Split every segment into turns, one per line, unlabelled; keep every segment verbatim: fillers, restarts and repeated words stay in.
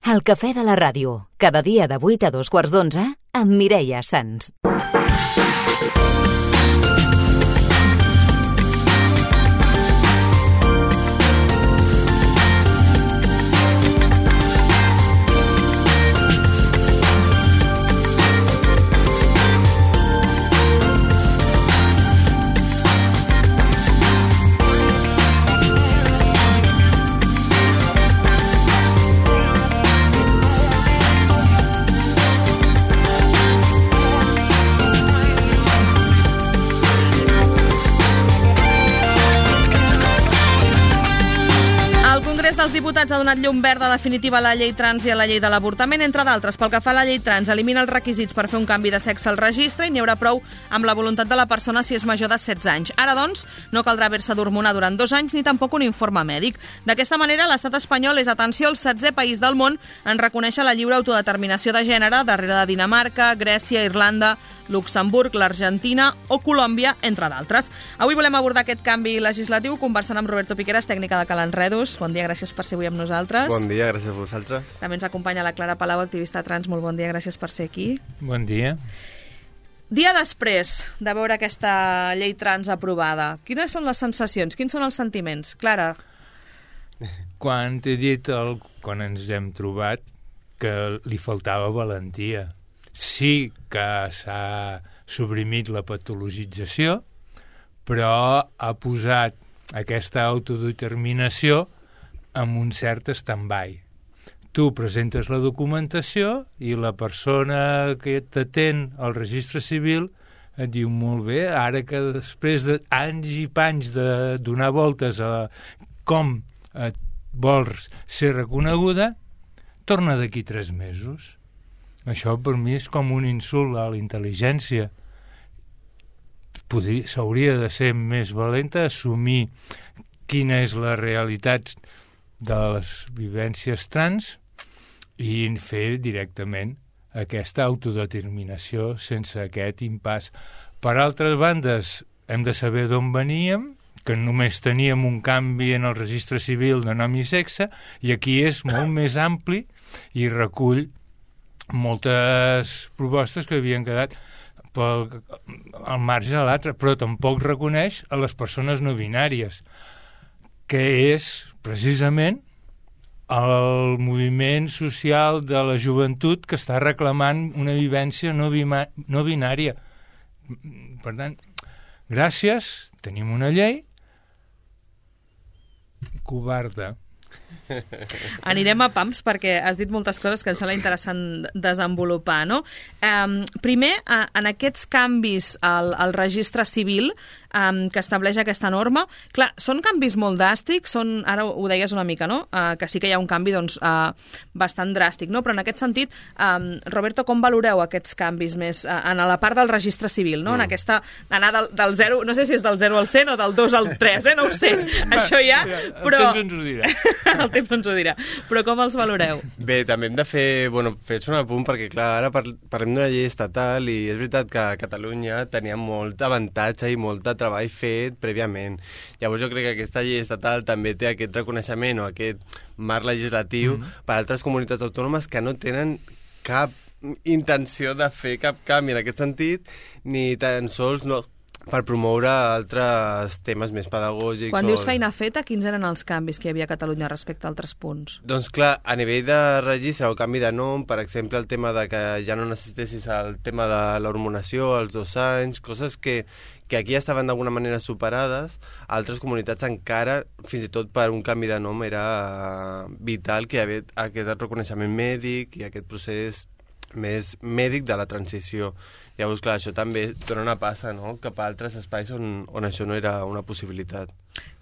El cafè de la ràdio, cada dia de vuit a dos quarts d'onze, amb Mireia Sans.
Els diputats ha donat llum verda definitiva a la llei trans i a la llei de l'avortament, entre d'altres. Pel que fa a la llei trans, elimina els requisits per fer un canvi de sexe al registre i n'hi haurà prou amb la voluntat de la persona si és major de setze anys. Ara, doncs, no caldrà haver-se d'hormonar durant dos anys ni tampoc un informe mèdic. D'aquesta manera, l'estat espanyol és, atenció, el setzè país del món en reconèixer la lliure autodeterminació de gènere, darrere de Dinamarca, Grècia, Irlanda, Luxemburg, l'Argentina o Colòmbia, entre d'altres. Avui volem abordar aquest canvi legislatiu conversant amb Roberto Piqueras, tècnica de Cal Enredos. Bon dia, gràcies per ser avui amb nosaltres.
Bon dia, gràcies a vosaltres.
També ens acompanya la Clara Palau, activista trans. Molt bon dia, gràcies per ser aquí.
Bon dia.
Dia després de veure aquesta llei trans aprovada, quines són les sensacions, quins són els sentiments? Clara?
Quan t'he dit, el, quan ens hem trobat, que li faltava valentia. Sí que s'ha suprimit la patologització, però ha posat aquesta autodeterminació amb un cert stand-by. Tu presentes la documentació i la persona que t'atén al registre civil et diu, molt bé, ara que després d'anys i panys de donar voltes a com et vols ser reconeguda, torna d'aquí tres mesos. Això per mi és com un insult a la intel·ligència. Podria, s'hauria de ser més valenta, assumir quina és la realitat de les vivències trans i fer directament aquesta autodeterminació sense aquest impàs. Per altres bandes, hem de saber d'on veníem, que només teníem un canvi en el registre civil de nom i sexe, i aquí és molt més ampli i recull moltes propostes que havien quedat pel, al marge de l'altre, però tampoc reconeix a les persones no binàries, que és precisament el moviment social de la joventut que està reclamant una vivència no, bima, no binària. Per tant, gràcies, tenim una llei covarda.
Anirem a pams perquè has dit moltes coses que em sembla interessant desenvolupar, no? Um, primer, uh, en aquests canvis al, al registre civil um, que estableix aquesta norma, clar, són canvis molt dràstics, són, ara ho deies una mica, no? Uh, que sí que hi ha un canvi doncs, uh, bastant dràstic, no? Però en aquest sentit, um, Roberto, com valoreu aquests canvis més uh, en la part del registre civil, no? Mm. En aquesta, anar del, del zero, no sé si és del zero al cent o del dos al tres, eh? No ho sé, això ja, però...
El temps ens ho dirà.
El temps ens ho dirà. Però com els valoreu?
Bé, també hem de fer, bueno, fer un apunt perquè, clar, ara par parlem d'una llei estatal i és veritat que a Catalunya tenia molt avantatge i molt de treball fet prèviament. Llavors jo crec que aquesta llei estatal també té aquest reconeixement o aquest marc legislatiu mm -hmm. per a altres comunitats autònomes que no tenen cap intenció de fer cap canvi en aquest sentit, ni tan sols no, per promoure altres temes més pedagògics.
Quan
o...
dius feina feta, quins eren els canvis que hi havia a Catalunya respecte a altres punts?
Doncs clar, a nivell de registre o canvi de nom, per exemple, el tema de que ja no necessitessis el tema de l'hormonació als dos anys, coses que, que aquí estaven d'alguna manera superades, altres comunitats encara, fins i tot per un canvi de nom, era vital que hi hagués aquest reconeixement mèdic i aquest procés més mèdic de la transició. Llavors, clar, això també dona una passa, no?, cap a altres espais on, on això no era una possibilitat.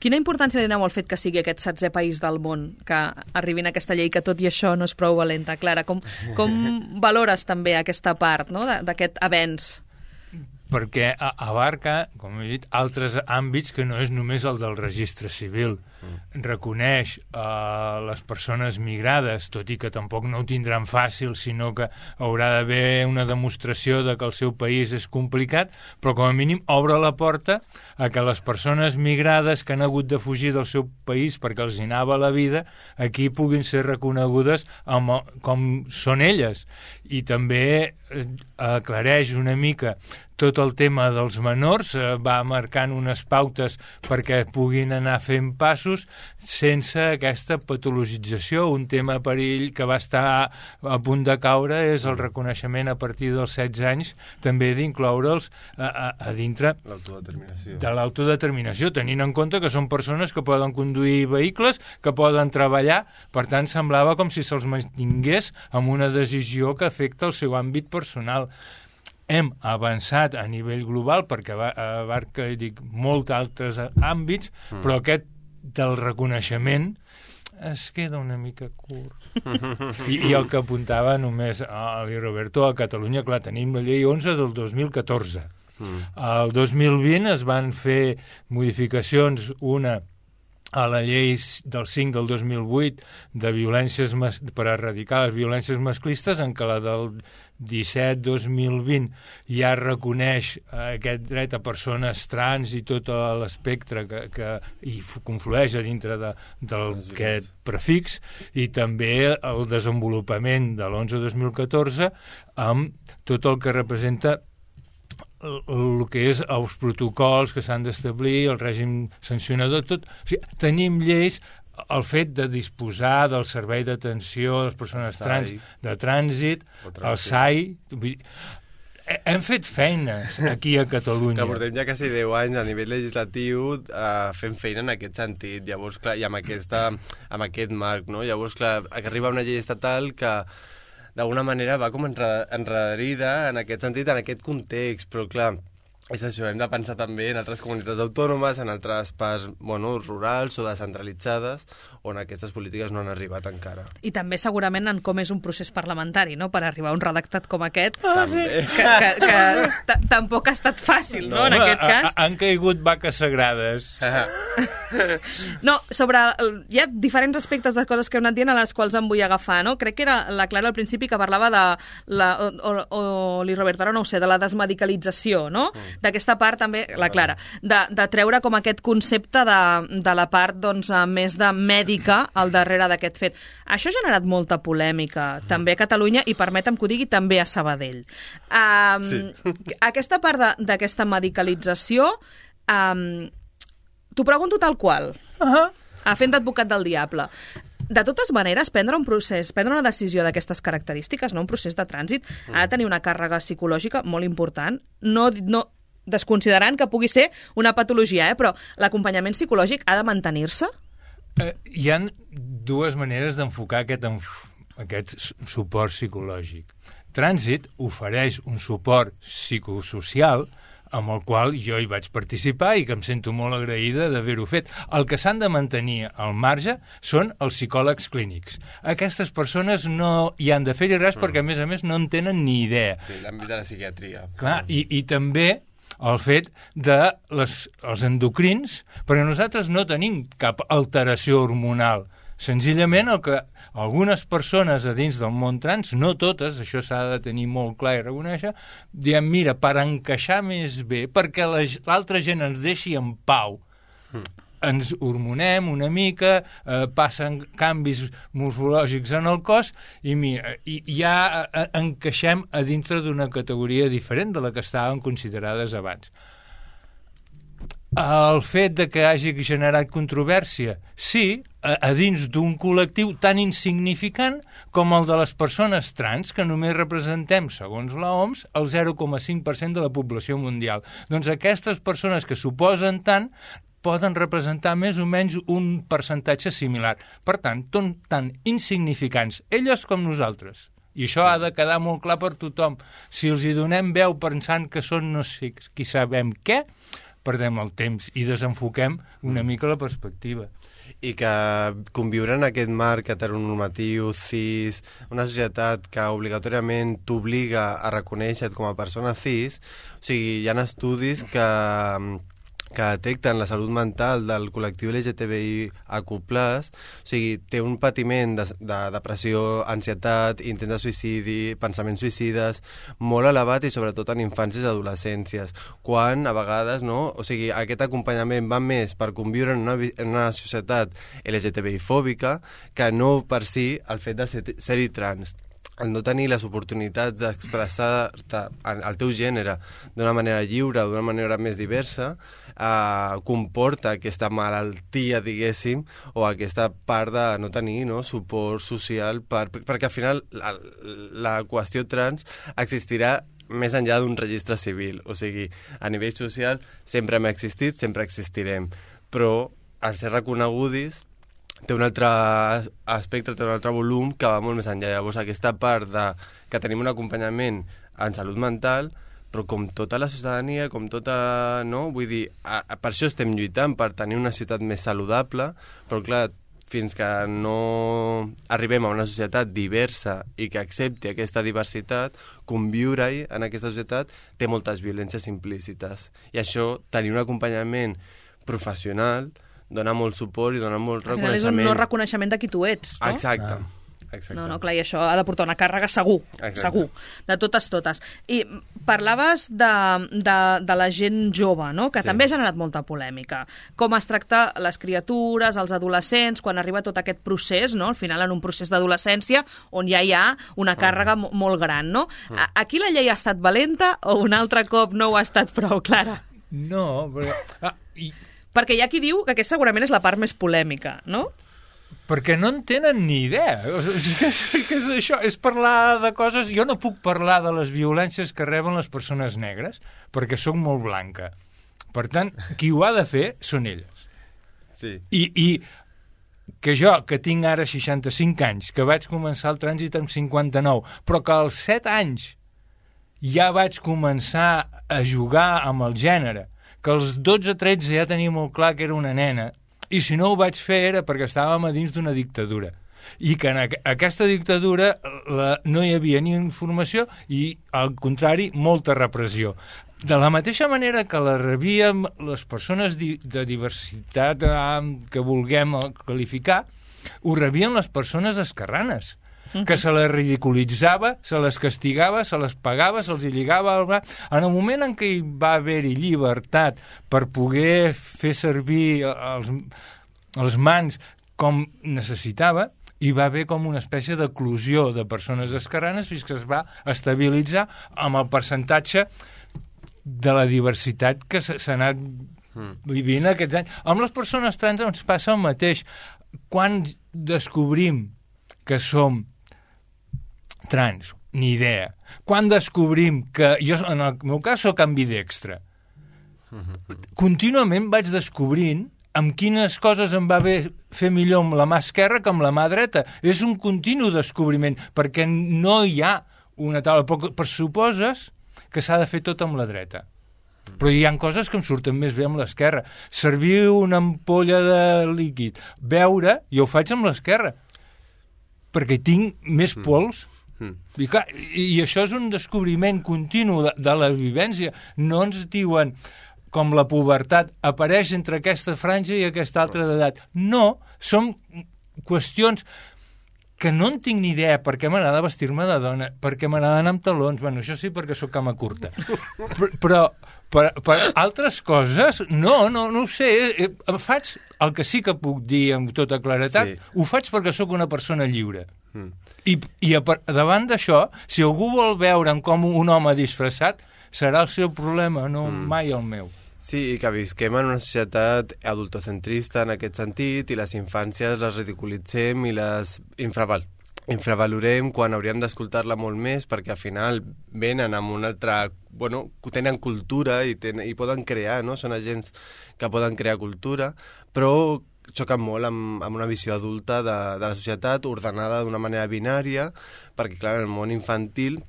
Quina importància li doneu al fet que sigui aquest setzè país del món que arribin a aquesta llei que tot i això no és prou valenta? Clara, com, com valores també aquesta part, no?, d'aquest avenç?
Perquè abarca, com he dit, altres àmbits que no és només el del registre civil. mm. reconeix uh, les persones migrades, tot i que tampoc no ho tindran fàcil, sinó que haurà d'haver una demostració de que el seu país és complicat, però com a mínim obre la porta a que les persones migrades que han hagut de fugir del seu país perquè els hi anava la vida, aquí puguin ser reconegudes amb, com són elles. I també aclareix una mica tot el tema dels menors, eh, va marcant unes pautes perquè puguin anar fent passos sense aquesta patologització. Un tema perill que va estar a punt de caure és el reconeixement a partir dels setze anys també d'incloure'ls a, a, a dintre
l'autodeterminació.
de l'autodeterminació, tenint en compte que són persones que poden conduir vehicles, que poden treballar, per tant semblava com si se'ls mantingués amb una decisió que afecta el seu àmbit personal. Hem avançat a nivell global perquè abarca, dic, molts altres àmbits, mm. però aquest del reconeixement es queda una mica curt. I, I el que apuntava només a Roberto, a Catalunya, clar, tenim la llei onze del dos mil catorze. Mm. El dos mil vint es van fer modificacions, una a la llei del cinc del dos mil vuit de violències mas- per erradicar les violències masclistes, en què la del disset dos mil vint ja reconeix eh, aquest dret a persones trans i tot l'espectre que, que hi conflueix a dintre d'aquest prefix, i també el desenvolupament de l'onze dos mil catorze amb tot el que representa el que és els protocols que s'han d'establir, el règim sancionador, tot. O sigui, tenim lleis, el fet de disposar del servei d'atenció a les persones trans de trànsit, el S A I. Hem fet feines aquí a Catalunya.
Que portem ja quasi deu anys a nivell legislatiu eh, fent feina en aquest sentit. Llavors, clar, i amb, aquesta, amb aquest marc, no? Llavors, clar, que arriba una llei estatal que d'alguna manera va com enredarida en aquest sentit, en aquest context, però clar, és això, hem de pensar també en altres comunitats autònomes, en altres parts, bueno, rurals o descentralitzades, on aquestes polítiques no han arribat encara.
I també segurament en com és un procés parlamentari, no?, per arribar a un redactat com aquest,
ah, sí.
que, que, que tampoc ha estat fàcil, no, no en aquest cas.
Han caigut vaques sagrades.
No, sobre... Hi ha diferents aspectes de coses que heu anat dient a les quals em vull agafar, no? Crec que era la Clara al principi que parlava de la... o, o, o li Roberto, ara no ho sé, de la desmedicalització, no? Mm. D'aquesta part també, la Clara, de, de treure com aquest concepte de, de la part doncs, més de mèdica al darrere d'aquest fet. Això ha generat molta polèmica, mm. també a Catalunya, i permetem que ho digui, també a Sabadell. Um, sí. Aquesta part d'aquesta medicalització, um, t'ho pregunto tal qual, uh-huh. fent d'advocat del diable. De totes maneres, prendre un procés, prendre una decisió d'aquestes característiques, no un procés de trànsit, mm. ha de tenir una càrrega psicològica molt important, no, no desconsiderant que pugui ser una patologia, eh? Però l'acompanyament psicològic ha de mantenir-se?
Eh, hi ha dues maneres d'enfocar aquest, aquest suport psicològic. Trànsit ofereix un suport psicosocial amb el qual jo hi vaig participar i que em sento molt agraïda d'haver-ho fet. El que s'han de mantenir al marge són els psicòlegs clínics. Aquestes persones no hi han de fer-hi res mm. perquè, a més a més, no en tenen ni idea.
Sí, l'àmbit de la psiquiatria.
Clar, i, i també el fet de les, els endocrins, perquè nosaltres no tenim cap alteració hormonal. Senzillament el que algunes persones a dins del món trans, no totes, això s'ha de tenir molt clar i reconèixer, diem, mira, per encaixar més bé, perquè l'altra gent ens deixi en pau, mm. ens hormonem una mica, eh, passen canvis morfològics en el cos i, mira, i ja eh, encaixem a dintre d'una categoria diferent de la que estaven considerades abans. El fet de que hagi generat controvèrsia, sí, a, a dins d'un col·lectiu tan insignificant com el de les persones trans, que només representem, segons l'O M S, el zero coma cinc per cent de la població mundial. Doncs aquestes persones que suposen tant poden representar més o menys un percentatge similar. Per tant, són tan insignificants, elles com nosaltres. I això ha de quedar molt clar per tothom. Si els hi donem veu pensant que són no sé qui sabem què, perdem el temps i desenfoquem una mica la perspectiva.
I que conviure en aquest marc heteronormatiu, cis, una societat que obligatòriament t'obliga a reconèixer-te com a persona cis, o sigui, hi ha estudis que que detecten la salut mental del col·lectiu L G T B I A Q plus, o sigui, té un patiment de, de depressió, ansietat, intent de suïcidi, pensaments suïcides, molt elevat i sobretot en infàncies i adolescències, quan a vegades, no, o sigui, aquest acompanyament va més per conviure en una, en una societat L G T B I fòbica que no per si el fet de ser, ser-hi trans. El no tenir les oportunitats d'expressar-te el teu gènere d'una manera lliure o d'una manera més diversa eh, comporta aquesta malaltia, diguéssim, o aquesta part de no tenir, no, suport social, per, perquè al final la, la qüestió trans existirà més enllà d'un registre civil. O sigui, a nivell social sempre hem existit, sempre existirem, però al ser reconeguts té un altre aspecte, té un altre volum que va molt més enllà. Llavors, aquesta part de que tenim un acompanyament en salut mental, però com tota la ciutadania, com tota, no? Vull dir, a, a, per això estem lluitant, per tenir una ciutat més saludable, però clar, fins que no arribem a una societat diversa i que accepti aquesta diversitat, conviure-hi en aquesta societat té moltes violències implícites. I això, tenir un acompanyament professional, dona molt suport i dona molt reconeixement.
És un no reconeixement de qui tu ets, no?
Exacte. Exacte.
No, no, clar, i això ha de portar una càrrega segur,
Exacte.
segur, de totes, totes. I parlaves de, de, de la gent jove, no?, que
sí.
també ha generat molta polèmica. Com es tracta les criatures, els adolescents, quan arriba tot aquest procés, no?, al final en un procés d'adolescència, on ja hi ha una càrrega mm. molt gran, no? Mm. Aquí la llei ha estat valenta o un altre cop no ho ha estat prou clara?
No, perquè... Ah, i...
Perquè hi ha qui diu que aquesta segurament és la part més polèmica, no?
Perquè no en tenen ni idea. O sigui, és, és això, és parlar de coses... Jo no puc parlar de les violències que reben les persones negres, perquè sóc molt blanca. Per tant, qui ho ha de fer són elles.
Sí.
I, i que jo, que tinc ara seixanta-cinc anys, que vaig començar el trànsit amb cinquanta-nou, però que als set anys ja vaig començar a jugar amb el gènere, que als dotze tretze ja tenia molt clar que era una nena, i si no ho vaig fer era perquè estàvem a dins d'una dictadura. I que en aquesta dictadura la, no hi havia ni informació i, al contrari, molta repressió. De la mateixa manera que la rebíem les persones di de diversitat eh, que vulguem qualificar, ho rebien les persones esquerranes, que se les ridiculitzava, se les castigava, se les pagava, se'ls lligava al braç. En el moment en què hi va haver-hi llibertat per poder fer servir els, els mans com necessitava, hi va haver com una espècie d'eclusió de persones esquerranes fins que es va estabilitzar amb el percentatge de la diversitat que s'ha anat vivint aquests anys. Amb les persones trans ens passa el mateix. Quan descobrim que som trans, ni idea. Quan descobrim que... Jo, en el meu cas, soc ambidextre. Contínuament vaig descobrint amb quines coses em va bé fer millor amb la mà esquerra que amb la mà dreta. És un continu descobriment, perquè no hi ha una taula. Però pressuposes que s'ha de fer tot amb la dreta. Però hi ha coses que em surten més bé amb l'esquerra. Servir una ampolla de líquid, beure, jo ho faig amb l'esquerra, perquè tinc més pols. Mm. I, clar, i, I això és un descobriment continu de, de la vivència. No ens diuen, com la pubertat, apareix entre aquesta franja i aquesta altra d'edat. No, són qüestions que no en tinc ni idea. Per què m'agrada vestir-me de dona, per què m'agrada anar amb talons, bueno, això sí perquè sóc cama curta. Però, però per, per altres coses, no, no, no ho sé. Em faig el que sí que puc dir amb tota claretat, sí. Ho faig perquè sóc una persona lliure. Mm. I, i a, davant d'això, si algú vol veure'm com un home disfressat, serà el seu problema, no mm. mai el meu.
Sí, i que visquem en una societat adultocentrista en aquest sentit, i les infàncies les ridiculitzem i les infraval infravalorem quan hauríem d'escoltar-la molt més, perquè al final venen amb una altra... Bueno, tenen cultura i, ten, i poden crear, no? Són agents que poden crear cultura, però xoquen molt amb, amb una visió adulta de, de la societat ordenada d'una manera binària, perquè, clar, en el món infantil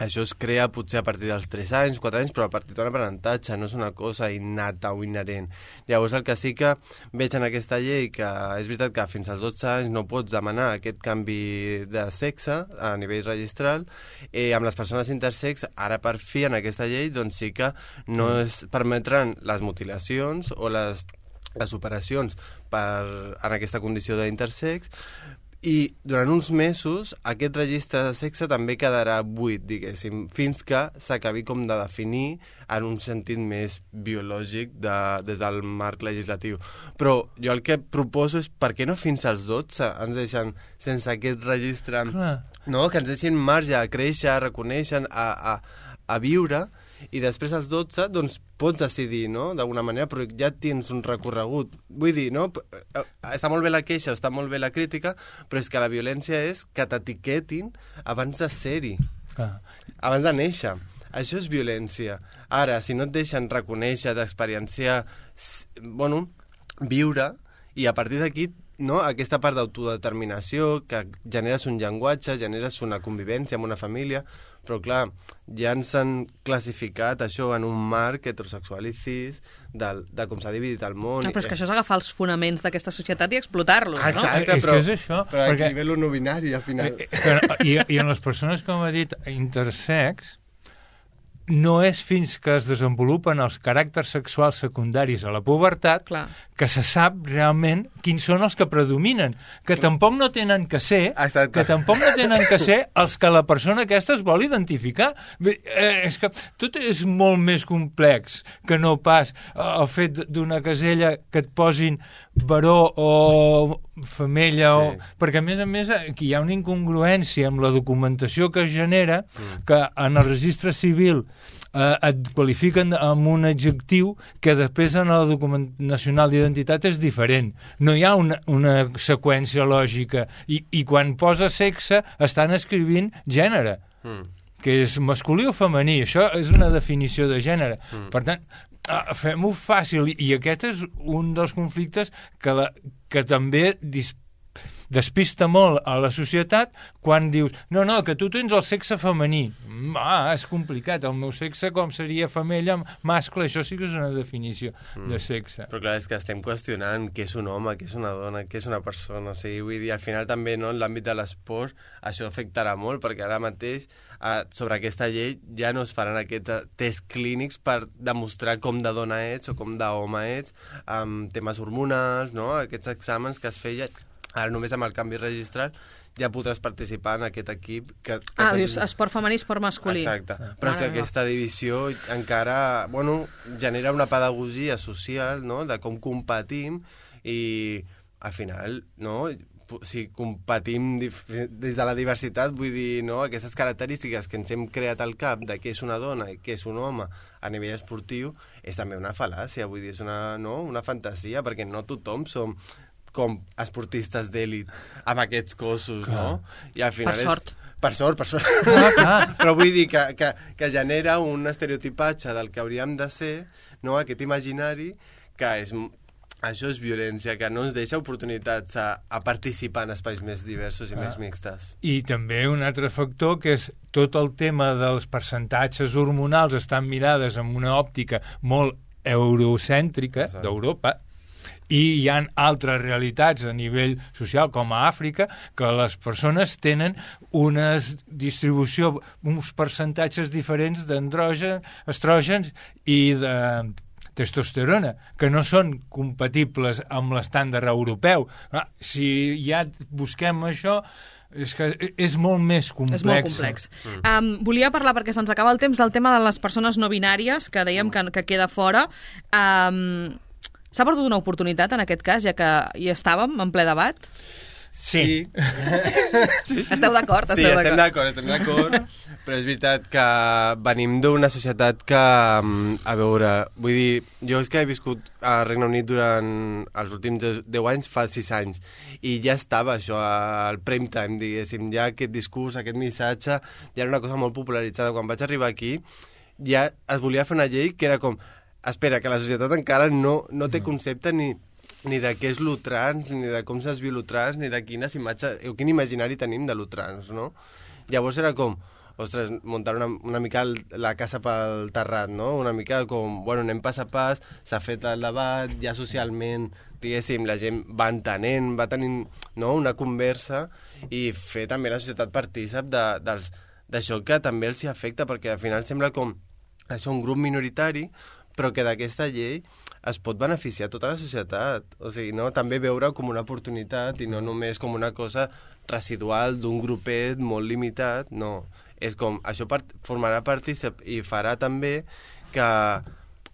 això es crea potser a partir dels tres anys, quatre anys, però a partir d'un aprenentatge, no és una cosa innata o inherent. Llavors el que sí que veig en aquesta llei, que és veritat que fins als dotze anys no pots demanar aquest canvi de sexe a nivell registral, eh, amb les persones intersex, ara per fi en aquesta llei doncs sí que no es permetran les mutilacions o les, les operacions per, en aquesta condició d'intersex, i durant uns mesos aquest registre de sexe també quedarà buit, diguéssim, fins que s'acabi com de definir en un sentit més biològic de, des del marc legislatiu. Però jo el que proposo és per què no fins als dotze ens deixen sense aquest registre, no? Que ens deixin marge a créixer, a reconèixer, a, a, a viure, i després als dotze doncs pots decidir, no?, d'alguna manera, però ja tens un recorregut. Vull dir, no?, està molt bé la queixa, està molt bé la crítica, però és que la violència és que t'etiquetin abans de ser-hi, ah. abans de néixer. Això és violència. Ara, si no et deixen reconèixer, d'experienciar, bueno, viure, i a partir d'aquí, no?, aquesta part d'autodeterminació, que generes un llenguatge, generes una convivència amb una família, però clar, ja ens han classificat això en un marc heterosexual i cis de, de com s'ha dividit el món.
Ah, però és que això és agafar els fonaments d'aquesta societat i explotar-los, no?
Exacte,
és
però,
que és això,
però
perquè...
aquí ve lo no binari, al final.
Però, i, I en les persones, com ha dit, intersex, no és fins que es desenvolupen els caràcters sexuals secundaris a la pubertat Clar. que se sap realment quins són els que predominen, que tampoc no tenen que ser, Exacte. que tampoc no tenen que ser els que la persona aquesta es vol identificar. Bé, eh, és que tot és molt més complex que no pas el fet d'una casella que et posin baró o femella, sí. o... perquè a més a més aquí hi ha una incongruència amb la documentació que es genera, mm. que en el registre civil eh, et qualifiquen amb un adjectiu que després en el document nacional d'identitat és diferent. No hi ha una, una seqüència lògica i, i quan posa sexe estan escrivint gènere, mm. que és masculí o femení. Això és una definició de gènere. Mm. Per tant, fem-ho fàcil, i aquest és un dels conflictes que, la, que també dis, despista molt a la societat quan dius, no, no, que tu tens el sexe femení. Ah, és complicat, el meu sexe com seria femella, mascle, això sí que és una definició mm. de sexe.
Però clar, és que estem qüestionant què és un home, què és una dona, què és una persona, o sigui, vull dir, al final també, no, en l'àmbit de l'esport això afectarà molt, perquè ara mateix eh, sobre aquesta llei ja no es faran aquests tests clínics per demostrar com de dona ets o com d'home ets, amb temes hormonals, no, aquests exàmens que es feia. Ara només amb el canvi registral ja podràs participar en aquest equip. Que, que
ah, dius esport femení, esport masculí.
Exacte. Però és que aquesta divisió encara, bueno, genera una pedagogia social, no?, de com competim i al final, no?, si competim des de la diversitat, vull dir, no?, aquestes característiques que ens hem creat al cap de què és una dona i què és un home a nivell esportiu, és també una fal·làcia, vull dir, és una, no?, una fantasia, perquè no tothom som com esportistes d'èlit amb aquests cossos, Clar. no? I al final
per sort.
És... Per sort, per sort. Ah, però vull dir que, que, que genera un estereotipatge del que hauríem de ser, no?, aquest imaginari que és... Això és violència, que no ens deixa oportunitats a, a participar en espais més diversos i ah. més mixtes.
I també un altre factor, que és tot el tema dels percentatges hormonals estan mirades amb una òptica molt eurocèntrica Exacte. d'Europa, i hi ha altres realitats a nivell social, com a Àfrica, que les persones tenen una distribució, uns percentatges diferents d'androgen, estrògens i de testosterona, que no són compatibles amb l'estàndard europeu. Si ja busquem això, és que és molt més complex.
És molt complex. Mm. Um, volia parlar, perquè se'ns acaba el temps, del tema de les persones no binàries, que dèiem que, que queda fora. Um, S'ha perdut una oportunitat en aquest cas, ja que hi estàvem en ple debat?
Sí. sí.
sí, sí. Esteu d'acord?
Sí, estem d'acord, estem d'acord. Però és veritat que venim d'una societat que, a veure, vull dir, jo és que he viscut a Regne Unit durant els últims deu anys, fa sis anys, i ja estava això al prime time, diguéssim, ja aquest discurs, aquest missatge, ja era una cosa molt popularitzada. Quan vaig arribar aquí, ja es volia fer una llei que era com... Espera, que la societat encara no, no té concepte ni, ni de què és lo trans, ni de com s'esviu lo trans, ni de quines imatges, o quin imaginari tenim de lo trans, no? Llavors era com, ostres, muntar una, una mica el, la casa pel terrat, no? Una mica com, bueno, anem pas a pas, s'ha fet el debat, ja socialment, diguéssim, la gent va entenent, va tenint, no?, una conversa, i fer també la societat partícip de, dels, d'això que també els hi afecta, perquè al final sembla com això, un grup minoritari, però que d'aquesta llei es pot beneficiar tota la societat. O sigui, no? També veure com una oportunitat i no només com una cosa residual d'un grupet molt limitat, no. És com, això part, formarà partícip i farà també que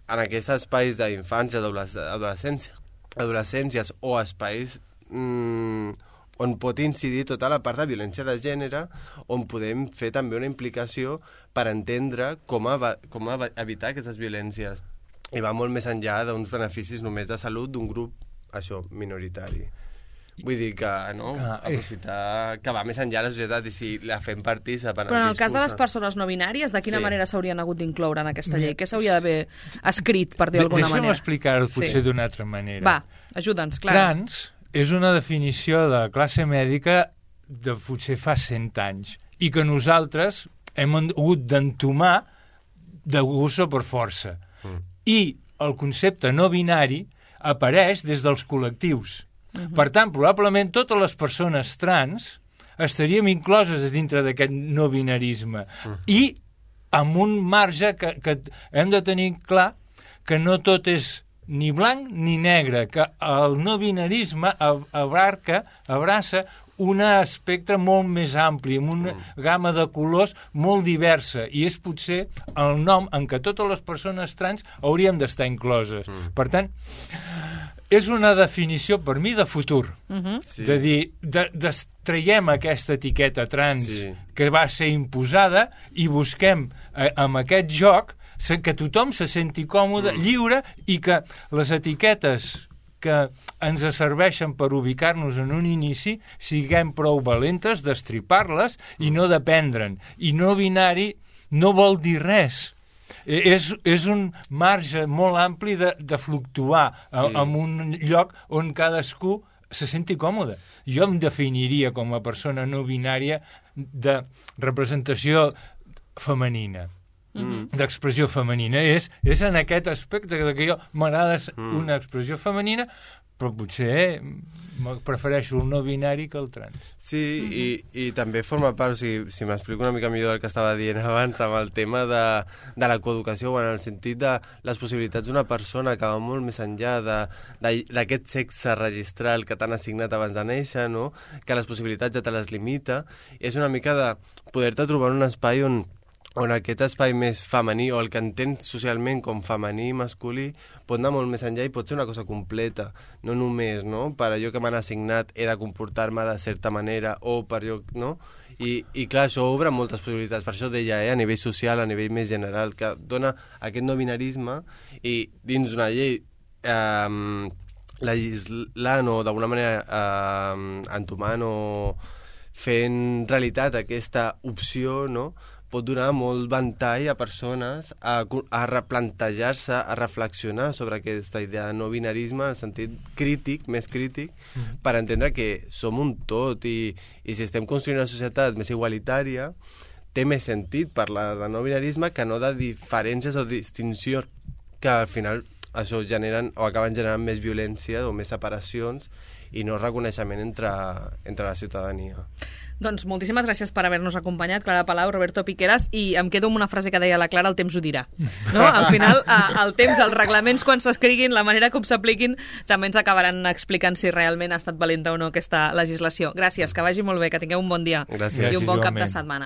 en aquests espais d'infància, d'adolescència, adolescències o espais mmm, on pot incidir tota la part de violència de gènere, on podem fer també una implicació per entendre com, a, com a evitar aquestes violències. I va molt més enllà d'uns beneficis només de salut d'un grup, això, minoritari. Vull dir que, no?, aprofitar que va més enllà de la societat i si la fem partícip en el
Però en el
discurs...
cas de les persones no binàries, de quina
sí.
manera s'haurien hagut d'incloure en aquesta llei? Què s'hauria d'haver escrit, per dir d'alguna manera?
Deixa'm explicar-ho potser
sí.
d'una altra manera.
Va, ajuda'ns, clar.
Trans és una definició de classe mèdica de potser fa cent anys i que nosaltres hem hagut d'entomar de gust o per força. Mm. I el concepte no binari apareix des dels col·lectius. Uh-huh. Per tant, probablement totes les persones trans estaríem incloses dintre d'aquest no binarisme. Uh-huh. I amb un marge que, que hem de tenir clar que no tot és ni blanc ni negre, que el no binarisme abarca, abraça un espectre molt més ampli, amb una mm. gamma de colors molt diversa, i és potser el nom en què totes les persones trans hauríem d'estar incloses. Mm. Per tant, és una definició, per mi, de futur. Mm-hmm. Sí. De dir, de, destraiem aquesta etiqueta trans sí. que va ser imposada i busquem eh, amb aquest joc que tothom se senti còmode, mm. lliure, i que les etiquetes que ens serveixen per ubicar-nos en un inici siguem prou valentes d'estripar-les i no dependre'n. I no binari no vol dir res. És, és un marge molt ampli de, de fluctuar sí. en un lloc on cadascú se senti còmode. Jo em definiria com a persona no binària de representació femenina. Mm. d'expressió femenina. És, és en aquest aspecte que jo m'agrada mm. una expressió femenina, però potser prefereixo el no binari que el trans.
Sí, mm-hmm. i, i també forma part, o sigui, si m'explico una mica millor del que estava dient abans, amb el tema de, de la coeducació, en el sentit de les possibilitats d'una persona que va molt més enllà d'aquest sexe registral que t'han assignat abans de néixer, no? Que les possibilitats ja te les limita, i és una mica de poder-te trobar un espai on on aquest espai més femení, o el que entens socialment com femení i masculí, pot anar molt més enllà i pot ser una cosa completa. No només, no?, per allò que m'han assignat he de comportar-me de certa manera, o per allò, no? I, i clar, això obre moltes possibilitats. Per això deia, eh, a nivell social, a nivell més general, que dona aquest no binarisme, i dins d'una llei eh, legislant o d'alguna manera eh, entomant o fent realitat aquesta opció, no?, pot donar molt ventall a persones a, a replantejar-se, a reflexionar sobre aquesta idea de no binarisme en el sentit crític, més crític, mm. per entendre que som un tot i, i si estem construint una societat més igualitària, té més sentit parlar de no binarisme que no de diferències o distincions que al final això generen o acaben generant més violència o més separacions i no reconeixement entre, entre la ciutadania.
Doncs moltíssimes gràcies per haver-nos acompanyat, Clara Palau, Roberto Piqueras, i em quedo amb una frase que deia la Clara, el temps ho dirà. No? Al final, el temps, els reglaments, quan s'escriguin, la manera com s'apliquin, també ens acabaran explicant si realment ha estat valenta o no aquesta legislació. Gràcies, que vagi molt bé, que tingueu un bon dia
gràcies.
i un bon cap de setmana.